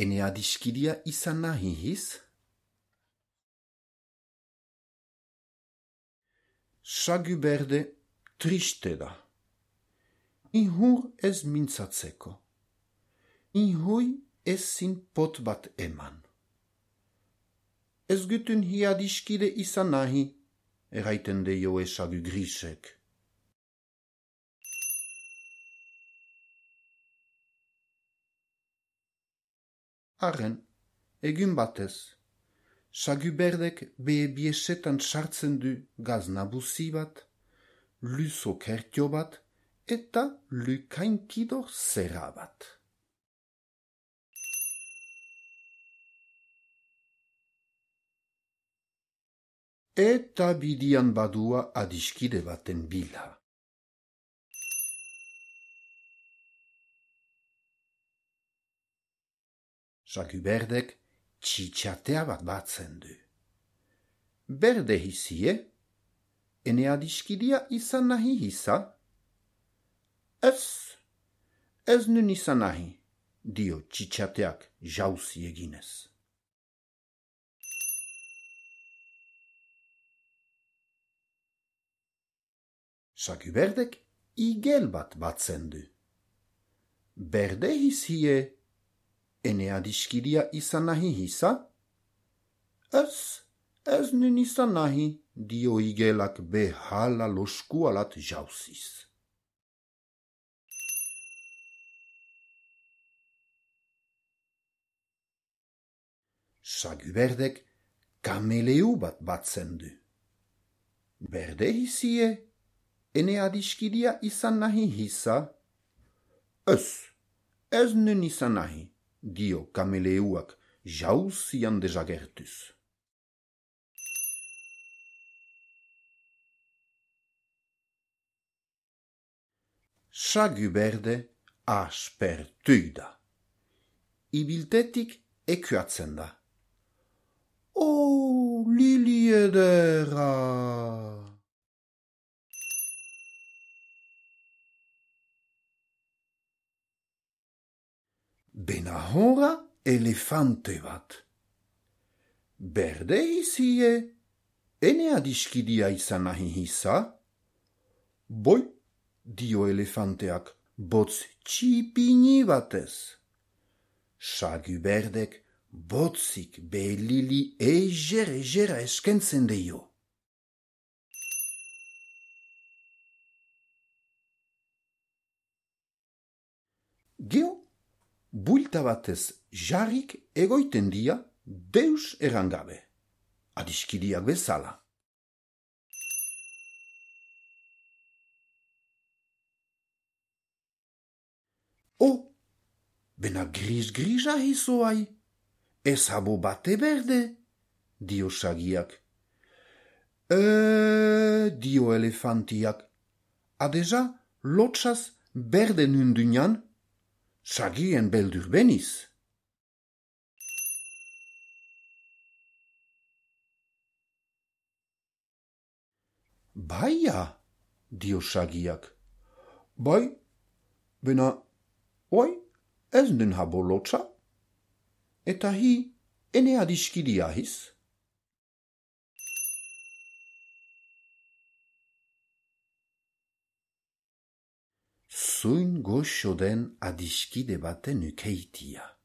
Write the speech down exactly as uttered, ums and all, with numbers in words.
ene adiskidia izan nahi hiz? Sagu berde triste da. Inhur ez mintzatzeko. Inhui ezin pot bat eman. Ez gutun hi adiskide izan nahi, eraiten deioe sagu grisek. Arren, egun batez, sagu berdek behe biesetan sartzen du gaz nabuzi bat, luzo kertio bat, eta lukainkido zera bat. Eta bidian badua adiskide baten bila. Sagu berdek txitxatea bat batzen du. Berde hizie, ene adiskidia izan nahi hisa? Ez, ez nun izan nahi, dio txitxateak jauzi eginez. Sagu berdek igel bat batzen du. Berde hizie, ene adiskidia izan nahi hisa? Ez, ez nun izan nahi, dio igelak behala loskualat jauziz. Sagu berdek kameleu bat batzen du. Berde hizie, ene adiskidia izan nahi hisa? Ez, ez nun izan nahi, dio kameleuak jauzian dezagertuz. Sagu berde aspertu da. Ibiltetik ekuatzen da. O, lili edera! Benahora elefante bat. Berde hizie, ene adiskidia izan nahi hisa? Boi, dio elefanteak botz txipini batez. Sagu berdek botzik belili eger egera eskentzen deio. Geo, builta batez jarrik egoiten dia deus erangabe, adiskidiak bezala. O, bena gris-grisa hizoai, ez habo bate berde, dio sagiak. E, dio elefantiak, adeja lotxaz berde nundunan, sagien beldur beniz. Baia, dio sagiak. Bai, bena, oi, ez nun habo lotxa? Eta hi, ene adiskidia hiz? Zuin goxo den adiskide baten ukeitia.